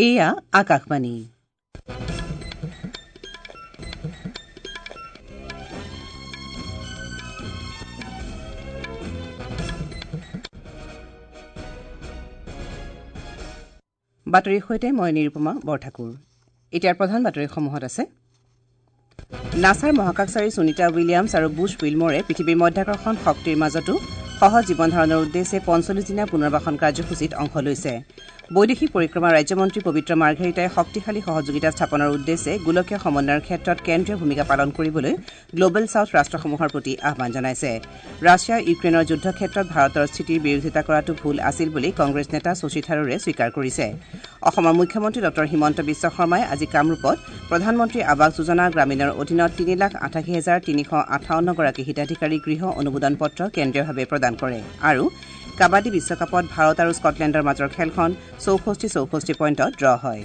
এয়া আকাশবাণী। বাতৰিৰ সৈতে মই নিৰুপমা বৰঠাকুৰ। এতিয়াৰ প্ৰধান বাতৰিসমূহত আছে নাছাৰ মহাকাশচাৰী সুনীতা উইলিয়ামছ আৰু বুচ উইলমৰে পৃথিৱীৰ মধ্যাকৰ্ষণ শক্তিৰ মাজতো সহজ জীৱন ধাৰণৰ উদ্দেশ্যে ৪৫ দিনীয়া পুনৰ্বাসন কাৰ্যসূচীত অংশ লৈছে। বৈদেশিক পৰিক্ৰমা ৰাজ্যমন্ত্ৰী পবিত্ৰ মাৰ্ঘেৰিটাই শক্তিশালী সহযোগিতা স্থাপনৰ উদ্দেশ্যে গোলকীয় সমন্বয়ৰ ক্ষেত্ৰত কেন্দ্ৰীয় ভূমিকা পালন কৰিবলৈ গ্লবেল ছাউথ ৰাষ্ট্ৰসমূহৰ প্ৰতি আহ্বান জনাইছে। ৰাছিয়া ইউক্ৰেইনৰ যুদ্ধক্ষেত্ৰত ভাৰতৰ স্থিতিৰ বিৰোধিতা কৰাটো ভুল আছিল বুলি কংগ্ৰেছ নেতা শশী থাৰুৰে স্বীকাৰ কৰিছে। অসমৰ মুখ্যমন্ত্ৰী ডঃ হিমন্ত বিশ্ব শৰ্মাই আজি কামৰূপত প্ৰধানমন্ত্ৰী আৱাস যোজনা গ্ৰামীণৰ অধীনত ৩,৮৮,৩৫৮ গৰাকী হিতাধিকাৰীক গৃহ অনুমোদন পত্ৰ কেন্দ্ৰীয়ভাৱে প্ৰদান কৰে। আৰু কাবাডী বিশ্বকাপত ভাৰত আৰু স্কটলেণ্ডৰ মাজৰ খেলখন ৬৪-৬৪ পইণ্টত ড্ৰ হয়।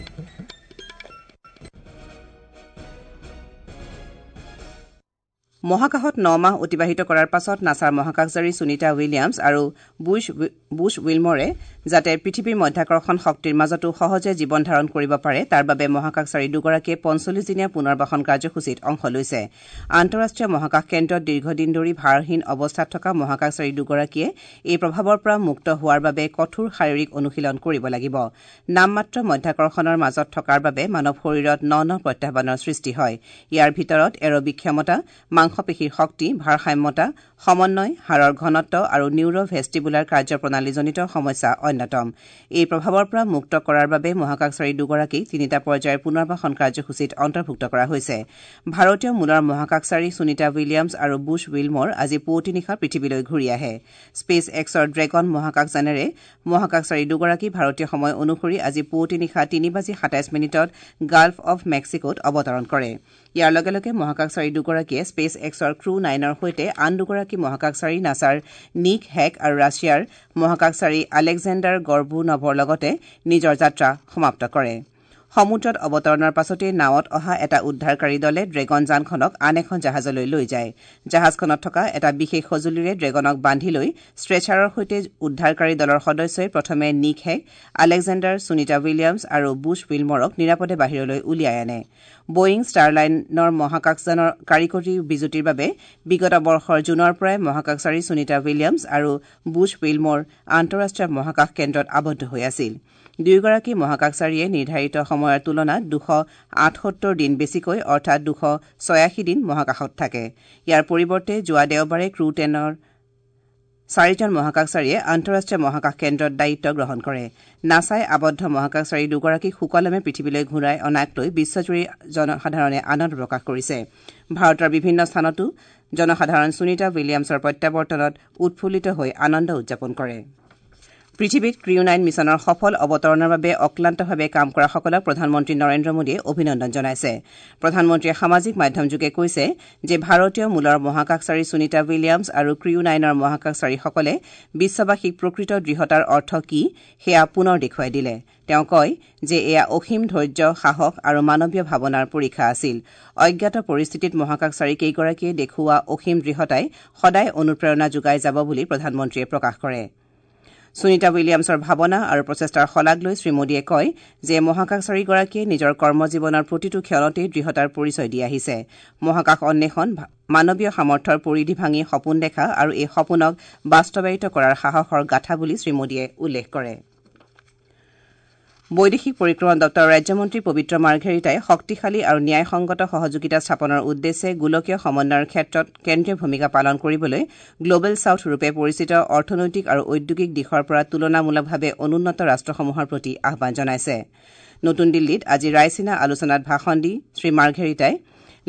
মহাকাশত ন মাহ অতিবাহিত কৰাৰ পাছত নাছাৰ মহাকাশচাৰী সুনীতা উইলিয়ামছ আৰু বুচ উইলমৰে যাতে পৃথিৱীৰ মধ্যাকৰ্ষণ শক্তিৰ মাজতো সহজে জীৱন ধাৰণ কৰিব পাৰে তাৰ বাবে মহাকাশচাৰী দুগৰাকীয়ে ৪৫ দিনীয়া পুনৰ্বাসন কাৰ্যসূচীত অংশ লৈছে। আন্তঃৰাষ্ট্ৰীয় মহাকাশ কেন্দ্ৰত দীৰ্ঘদিন ধৰি ভাৰহীন অৱস্থাত থকা মহাকাশচাৰী দুগৰাকীয়ে এই প্ৰভাৱৰ পৰা মুক্ত হোৱাৰ বাবে কঠোৰ শাৰীৰিক অনুশীলন কৰিব লাগিব। নামমাত্ৰ মধ্যাকৰ্ষণৰ মাজত থকাৰ বাবে মানৱ শৰীৰত ন ন প্ৰত্যাহ্বানৰ সৃষ্টি হয়। ইয়াৰ ভিতৰত এৰবিক ক্ষমতা, মাংসপেশীৰ শক্তি, ভাৰসাম্যতা, সমন্বয়, হাড়ৰ ঘনত্ব আৰু নিউৰ ভেষ্টিবুলাৰ কাৰ্যপ্ৰণালীজনিত সমস্যা অন্যতম। এই প্ৰভাৱৰ পৰা মুক্ত কৰাৰ বাবে মহাকাশচাৰী দুগৰাকীক তিনিটা পৰ্যায়ৰ পুনৰ্বাসন কাৰ্যসূচীত অন্তৰ্ভুক্ত কৰা হৈছে। ভাৰতীয় মূলৰ মহাকাশচাৰী সুনীতা উইলিয়ামছ আৰু বুচ উইলমৰ আজি পুৱতি নিশা পৃথিৱীলৈ ঘূৰি আহে। স্পেচ এক্সৰ ড্ৰেগন মহাকাশযানেৰে মহাকাশচাৰী দুগৰাকী ভাৰতীয় সময় অনুসৰি আজি পুৱতি নিশা ৩:২৭ গাল্ফ অৱ মেক্সিকোত অৱতৰণ কৰে। ইয়াৰ লগে লগে মহাকাশচাৰী দুগৰাকীয়ে স্পেচ এক্সৰ ক্ৰু নাইনৰ সৈতে আন দুগৰাকী মহাকাশচাৰী নাছাৰ নিক হেক আৰু ৰাছিয়াৰ মহাকাশচাৰী আলেকজেণ্ডাৰ গৰ্বুনভৰ লগতে নিজৰ যাত্ৰা সমাপ্ত কৰে। সমুদ্ৰত অৱতৰণৰ পাছতেই নাৱত অহা এটা উদ্ধাৰকাৰী দলে ড্ৰেগন যানখনক আন এখন জাহাজলৈ লৈ যায়। জাহাজখনত থকা এটা বিশেষ সঁজুলিৰে ড্ৰেগনক বান্ধি লৈ ষ্ট্ৰেচাৰৰ সৈতে উদ্ধাৰকাৰী দলৰ সদস্যই প্ৰথমে Nick hack, Alexander, Sunita Williams আৰু বুচ উইলমৰক নিৰাপদে বাহিৰলৈ উলিয়াই আনে। বোয়িং ষ্টাৰলাইনৰ মহাকাশযানৰ কাৰিকৰী বিজুতিৰ বাবে বিগত বৰ্ষৰ জুনৰ পৰাই মহাকাশচাৰী সুনীতা উইলিয়ামছ আৰু বুচ উইলমৰ আন্তঃৰাষ্ট্ৰীয় মহাকাশ কেন্দ্ৰত আবদ্ধ হৈ আছিল। দুয়োগৰাকী মহাকাশচাৰীয়ে নিৰ্ধাৰিত সময়ৰ তুলনাত ২৭৮ দিন বেছিকৈ অৰ্থাৎ ২৮৬ দিন মহাকাশত থাকে। ইয়াৰ পৰিৱৰ্তে যোৱা দেওবাৰে ক্ৰু টেনৰ চাৰিজন মহাকাশচাৰীয়ে আন্তঃৰাষ্ট্ৰীয় মহাকাশ কেন্দ্ৰত দায়িত্ব গ্ৰহণ কৰে। নাছাই আবদ্ধ মহাকাশচাৰী দুগৰাকীক সুকলমে পৃথিৱীলৈ ঘূৰাই অনাক লৈ বিশ্বজুৰি জনসাধাৰণে আনন্দ প্ৰকাশ কৰিছে। ভাৰতৰ বিভিন্ন স্থানতো জনসাধাৰণ সুনীতা উইলিয়ামছৰ প্ৰত্যাৱৰ্তনত উৎফুল্লিত হৈ আনন্দ উদযাপন কৰে। পৃথিৱীত ক্ৰিউ নাইন মিছনৰ সফল অৱতৰণৰ বাবে অক্লান্তভাৱে কাম কৰাসকলক প্ৰধানমন্ত্ৰী নৰেন্দ্ৰ মোদীয়ে অভিনন্দন জনাইছে। প্ৰধানমন্ত্ৰীয়ে সামাজিক মাধ্যমযোগে কৈছে যে ভাৰতীয় মূলৰ মহাকাশচাৰী সুনীতা উইলিয়ামছ আৰু ক্ৰিউ নাইনৰ মহাকাশচাৰীসকলে বিশ্ববাসীক প্ৰকৃত দৃঢ়তাৰ অৰ্থ কি সেয়া পুনৰ দেখুৱাই দিলে। তেওঁ কয় যে এয়া অসীম ধৈৰ্য, সাহস আৰু মানৱীয় ভাৱনাৰ পৰীক্ষা আছিল। অজ্ঞাত পৰিস্থিতিত মহাকাশচাৰী কেইগৰাকীয়ে দেখুওৱা অসীম দৃঢ়তাই সদায় অনুপ্ৰেৰণা যোগাই যাব বুলি প্ৰধানমন্ত্ৰীয়ে প্ৰকাশ কৰে। সুনীতা উইলিয়ামছৰ ভাৱনা আৰু প্ৰচেষ্টাৰ শলাগ লৈ শ্ৰীমোদীয়ে কয় যে মহাকাশচাৰীগৰাকীয়ে নিজৰ কৰ্মজীৱনৰ প্ৰতিটো ক্ষণতেই দৃঢ়তাৰ পৰিচয় দি আহিছে। মহাকাশ অন্বেষণ মানৱীয় সামৰ্থ্যৰ পৰিধি ভাঙি সপোন দেখা আৰু এই সপোনক বাস্তৱায়িত কৰাৰ সাহসৰ গাথা বুলি শ্ৰীমোদীয়ে উল্লেখ কৰে। বৈদেশিক পৰিক্ৰমা দপ্তৰৰ ৰাজ্যমন্ত্ৰী পবিত্ৰ মাৰ্ঘেৰিটাই শক্তিশালী আৰু ন্যায়সংগত সহযোগিতা স্থাপনৰ উদ্দেশ্যে গোলকীয় সমন্বয়ৰ ক্ষেত্ৰত কেন্দ্ৰীয় ভূমিকা পালন কৰিবলৈ গ্লবেল ছাউথ ৰূপে পৰিচিত অৰ্থনৈতিক আৰু ঔদ্যোগিক দিশৰ পৰা তুলনামূলকভাৱে অনুন্নত ৰাষ্ট্ৰসমূহৰ প্ৰতি আহ্বান জনাইছে। নতুন দিল্লীত আজি ৰায়ছিনা আলোচনাত ভাষণ দি শ্ৰীমাৰ্ঘেৰিটাই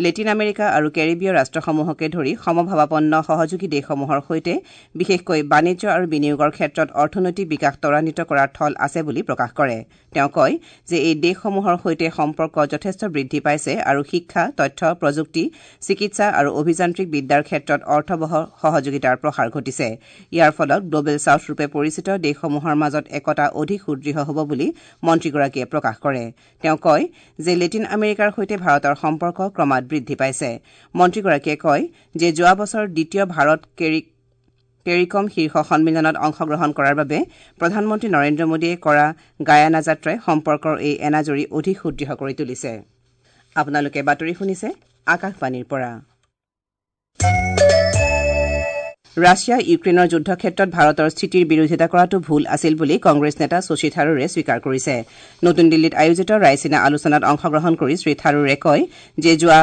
লেটিন আমেৰিকা আৰু কেৰিবীয় ৰাষ্ট্ৰসমূহকে ধৰি সমভাৱাপন্ন সহযোগী দেশসমূহৰ সৈতে বিশেষকৈ বাণিজ্য আৰু বিনিয়োগৰ ক্ষেত্ৰত অৰ্থনৈতিক বিকাশ ত্বৰান্বিত কৰাৰ থল আছে বুলি প্ৰকাশ কৰে। তেওঁ কয় যে এই দেশসমূহৰ সৈতে সম্পৰ্ক যথেষ্ট বৃদ্ধি পাইছে আৰু শিক্ষা, তথ্য, প্ৰযুক্তি, চিকিৎসা আৰু অভিযান্ত্ৰিক বিদ্যাৰ ক্ষেত্ৰত অৰ্থবহ সহযোগিতাৰ প্ৰসাৰ ঘটিছে। ইয়াৰ ফলত গ্লবেল ছাউথ ৰূপে পৰিচিত দেশসমূহৰ মাজত একতা অধিক সুদৃঢ় হ'ব বুলি মন্ত্ৰীগৰাকীয়ে প্ৰকাশ কৰে। তেওঁ কয় যে লেটিন আমেৰিকাৰ সৈতে ভাৰতৰ সম্পৰ্ক ক্ৰমাৎ বৃদ্ধি পাইছে। মন্ত্ৰীগৰাকীয়ে কয় যে যোৱা বছৰ দ্বিতীয় ভাৰত টেৰিকম শীৰ্ষ সন্মিলনত অংশগ্ৰহণ কৰাৰ বাবে প্ৰধানমন্ত্ৰী নৰেন্দ্ৰ মোদীয়ে কৰা গায়ানা যাত্ৰাই সম্পৰ্কৰ এই এনাজৰী অধিক সুদৃঢ় কৰি তুলিছে। আপোনালোকে বাতৰি শুনিছে আকাশবাণীৰ পৰা। ৰাছিয়া ইউক্ৰেইনৰ যুদ্ধক্ষেত্ৰত ভাৰতৰ স্থিতিৰ বিৰোধিতা কৰাটো ভুল আছিল বুলি কংগ্ৰেছ নেতা শশী থাৰুৰে স্বীকাৰ কৰিছে। নতুন দিল্লীত আয়োজিত ৰাইচিনা আলোচনাত অংশগ্ৰহণ কৰি শ্ৰী থাৰুৰে কয় যে যোৱা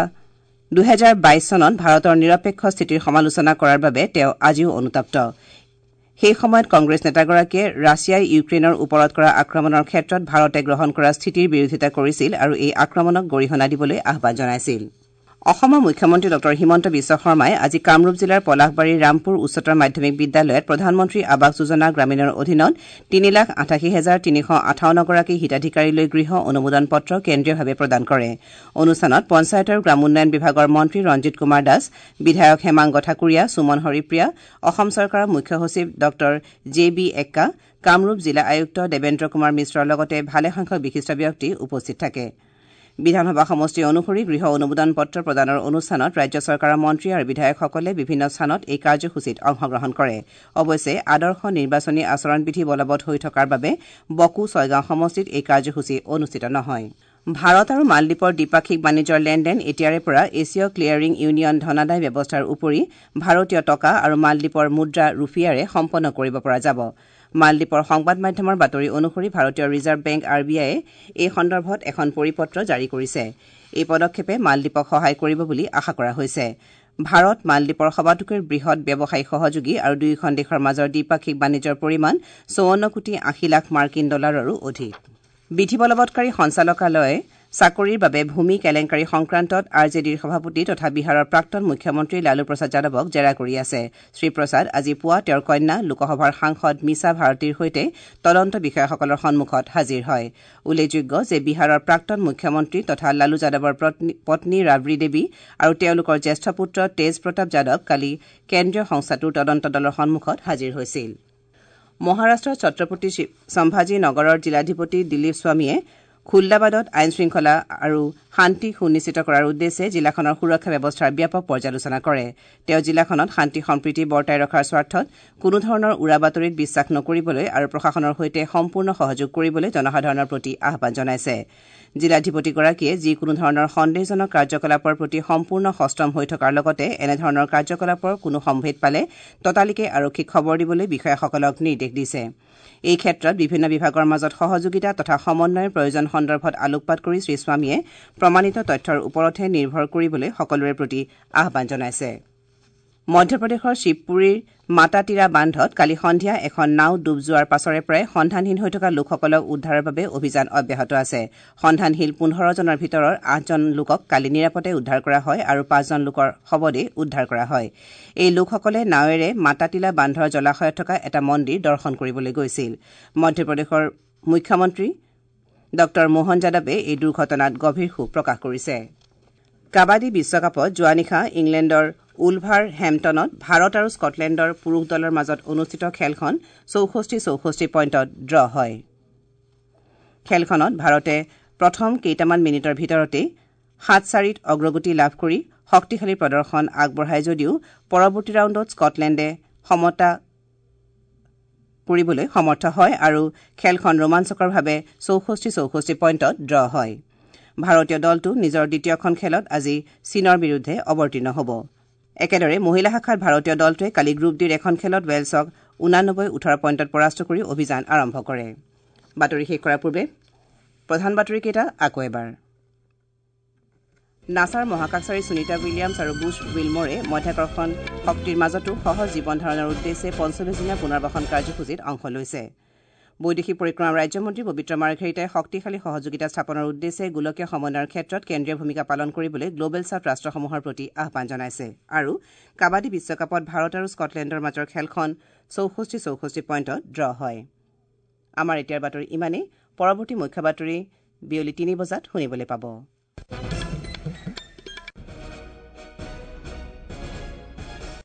২০২২ চনত ভাৰতৰ নিৰপেক্ষ স্থিতিৰ সমালোচনা কৰাৰ বাবে তেওঁ আজিও অনুতপ্ত। সেই সময়ত কংগ্ৰেছ নেতাগৰাকীয়ে ৰাছিয়াই ইউক্ৰেইনৰ ওপৰত কৰা আক্ৰমণৰ ক্ষেত্ৰত ভাৰতে গ্ৰহণ কৰা স্থিতিৰ বিৰোধিতা কৰিছিল আৰু এই আক্ৰমণক গৰিহণা দিবলৈ আহ্বান জনাইছিল। অসমৰ মুখ্যমন্ত্ৰী ডঃ হিমন্ত বিশ্ব শৰ্মাই আজি কামৰূপ জিলাৰ পলাশবাৰীৰ ৰামপুৰ উচ্চতৰ মাধ্যমিক বিদ্যালয়ত প্ৰধানমন্ত্ৰী আৱাস যোজনা গ্ৰামীণৰ অধীনত ৩,৮৮,৩৫৮ গৰাকী হিতাধিকাৰীলৈ গৃহ অনুমোদন পত্ৰ কেন্দ্ৰীয়ভাৱে প্ৰদান কৰে। অনুষ্ঠানত পঞ্চায়ত আৰু গ্ৰামোন্নয়ন বিভাগৰ মন্ত্ৰী ৰঞ্জিত কুমাৰ দাস, বিধায়ক হেমাংগ ঠাকুৰীয়া, সুমন হৰিপ্ৰিয়া, অসম চৰকাৰৰ মুখ্য সচিব ডঃ জে বি এক্কা, কামৰূপ জিলা আয়ুক্ত দেৱেন্দ্ৰ কুমাৰ মিশ্ৰৰ লগতে ভালেসংখ্যক বিশিষ্ট ব্যক্তি উপস্থিত থাকে। বিধানসভা সমষ্টি অনুসৰি গৃহ অনুমোদন পত্ৰ প্ৰদানৰ অনুষ্ঠানত ৰাজ্য চৰকাৰৰ মন্ত্ৰী আৰু বিধায়কসকলে বিভিন্ন স্থানত এই কাৰ্যসূচীত অংশগ্ৰহণ কৰে। অৱশ্যে আদৰ্শ নিৰ্বাচনী আচৰণবিধি বলবৎ হৈ থকাৰ বাবে বকো ছয়গাঁও সমষ্টিত এই কাৰ্যসূচী অনুষ্ঠিত নহয়। ভাৰত আৰু মালদ্বীপৰ দ্বিপাক্ষিক বাণিজ্যৰ লেনদেন এতিয়াৰে পৰা এছীয় ক্লিয়াৰিং ইউনিয়ন ধনাদায় ব্যৱস্থাৰ উপৰি ভাৰতীয় টকা আৰু মালদ্বীপৰ মুদ্ৰা ৰুফিয়াৰে সম্পন্ন কৰিব পৰা যাব। মালদ্বীপৰ সংবাদ মাধ্যমৰ বাতৰি অনুসৰি ভাৰতীয় ৰিজাৰ্ভ বেংক আৰ বি আইয়ে এই সন্দৰ্ভত এখন পৰিপত্ৰ জাৰি কৰিছে। এই পদক্ষেপে মালদ্বীপক সহায় কৰিব বুলি আশা কৰা হৈছে। ভাৰত মালদ্বীপৰ সবাতোকৈ বৃহৎ ব্যৱসায়িক সহযোগী আৰু দুয়োখন দেশৰ মাজৰ দ্বিপাক্ষিক বাণিজ্যৰ পৰিমাণ ৫৪ কোটি ৮০ লাখ মাৰ্কিন ডলাৰৰো অধিক। বিধি বলবৎকাৰী সঞ্চালকালয়ে চাকৰিৰ বাবে ভূমি কেলেংকাৰী সংক্ৰান্তত আৰ জে ডিৰ সভাপতি তথা বিহাৰৰ প্ৰাক্তন মুখ্যমন্ত্ৰী লালু প্ৰসাদ যাদৱক জেৰা কৰি আছে। শ্ৰীপ্ৰসাদ আজি পুৱা তেওঁৰ কন্যা লোকসভাৰ সাংসদ মিছা ভাৰতীৰ সৈতে তদন্ত বিষয়াসকলৰ সন্মুখত হাজিৰ হয়। উল্লেখযোগ্য যে বিহাৰৰ প্ৰাক্তন মুখ্যমন্ত্ৰী তথা লালু যাদৱৰ পত্নী ৰাবৰী দেৱী আৰু তেওঁলোকৰ জ্যেষ্ঠ পুত্ৰ তেজ প্ৰতাপ যাদৱ কালি কেন্দ্ৰীয় সংস্থাটোৰ তদন্ত দলৰ সন্মুখত হাজিৰ হৈছিল। মহাৰাষ্ট্ৰৰ ছত্ৰপতি সম্ভাজী নগৰৰ জিলাধিপতি দিলীপ স্বামীয়ে খুল্লাবাদত আইন শৃংখলা আৰু শান্তি সুনিশ্চিত কৰাৰ উদ্দেশ্যে জিলাখনৰ সুৰক্ষা ব্যৱস্থাৰ ব্যাপক পৰ্যালোচনা কৰে। তেওঁ জিলাখনত শান্তি সম্প্ৰীতি বৰ্তাই ৰখাৰ স্বাৰ্থত কোনোধৰণৰ উৰা বাতৰিত বিশ্বাস নকৰিবলৈ আৰু প্ৰশাসনৰ সৈতে সম্পূৰ্ণ সহযোগ কৰিবলৈ জনসাধাৰণৰ প্ৰতি আহ্বান জনাইছে। জিলাধিপতিগৰাকীয়ে যিকোনো ধৰণৰ সন্দেহজনক কাৰ্যকলাপৰ প্ৰতি সম্পূৰ্ণ সষ্টম হৈ থকাৰ লগতে এনেধৰণৰ কাৰ্যকলাপৰ কোনো সম্ভেদ পালে ততালিকে আৰক্ষীক খবৰ দিবলৈ বিষয়াসকলক নিৰ্দেশ দিছে। এই ক্ষেত্ৰত বিভিন্ন বিভাগৰ মাজত সহযোগিতা তথা সমন্বয়ৰ প্ৰয়োজন সন্দৰ্ভত আলোকপাত কৰি শ্ৰীস্বামীয়ে প্ৰমাণিত তথ্যৰ ওপৰতহে নিৰ্ভৰ কৰিবলৈ সকলোৰে প্ৰতি আহ্বান জনাইছে। মধ্যপ্ৰদেশৰ শিৱপুৰীৰ মাতাতিৰা বান্ধত কালি সন্ধিয়া এখন নাও ডুব যোৱাৰ পাছৰে পৰাই সন্ধানহীন হৈ থকা লোকসকলক উদ্ধাৰৰ বাবে অভিযান অব্যাহত আছে। সন্ধানহীন ১৫ জনৰ ভিতৰৰ আঠজন লোকক কালি নিৰাপদে উদ্ধাৰ কৰা হয় আৰু পাঁচজন লোকৰ শৱদেহ উদ্ধাৰ কৰা হয়। এই লোকসকলে নাৱেৰে মাতাতিলা বান্ধৰ জলাশয়ত থকা এটা মন্দিৰ দৰ্শন কৰিবলৈ গৈছিল। মধ্যপ্ৰদেশৰ মুখ্যমন্ত্ৰী ডঃ মোহন যাদৱে এই দুৰ্ঘটনাত গভীৰ শোক প্ৰকাশ কৰিছে। কাবাডী বিশ্বকাপত যোৱা নিশা ইংলেণ্ডৰ উলভাৰ হেম্পটনত ভাৰত আৰু স্কটলেণ্ডৰ পুৰুষ দলৰ মাজত অনুষ্ঠিত খেলখন ৬৪-৬৪ পইণ্টত ড্ৰ হয়। খেলখনত ভাৰতে প্ৰথম কেইটামান মিনিটৰ ভিতৰতেই ৭-৪ত অগ্ৰগতি লাভ কৰি শক্তিশালী প্ৰদৰ্শন আগবঢ়ায় যদিও পৰৱৰ্তী ৰাউণ্ডত স্কটলেণ্ডে সমতা কৰিবলৈ সমৰ্থ হয় আৰু খেলখন ৰোমাঞ্চকৰভাৱে ৬৪-৬৪ পইণ্টত ড্ৰ হয়। ভাৰতীয় দলটো নিজৰ দ্বিতীয়খন খেলত আজি চীনৰ বিৰুদ্ধে অৱতীৰ্ণ হ'ব। একেদৰে মহিলা শাখাত ভাৰতীয় দলটোৱে কালি গ্ৰুপ ডিৰ এখন খেলত ৱেলছক ৮৯-১৮ পইণ্টত পৰাস্ত কৰি অভিযান আৰম্ভ কৰে। বাতৰি শেষ কৰাৰ পূৰ্বে প্ৰধান বাতৰিকেইটা আকৌ এবাৰ। নাছাৰ মহাকাশচাৰী সুনীতা উইলিয়ামছ আৰু বুছ উইলমৰে মধ্যাকৰ্ষণ শক্তিৰ মাজতো সহজ জীৱন ধাৰণৰ উদ্দেশ্যে ৪৫ দিনীয়া পুনৰ্বাসন কাৰ্যসূচীত অংশ লৈছে। বৈদেশিক পৰিক্ৰমা ৰাজ্যমন্ত্ৰী পবিত্ৰ মাৰ্ঘেৰিটাই শক্তিশালী সহযোগিতা স্থাপনৰ উদ্দেশ্যে গোলকীয় সমন্বয়ৰ ক্ষেত্ৰত কেন্দ্ৰীয় ভূমিকা পালন কৰিবলৈ গ্লবেল ছাউথ ৰাষ্ট্ৰসমূহৰ প্ৰতি আহ্বান জনাইছে। আৰু কাবাডী বিশ্বকাপত ভাৰত আৰু স্কটলেণ্ডৰ মাজৰ খেলখন ৬৪-৬৪ পইণ্টত ড্ৰ হয়। আমাৰ এতিয়াৰ বাতৰি ইমানেই। পৰৱৰ্তী মুখ্য বাতৰি বিয়লি ৩ বজাত শুনিবলৈ পাব।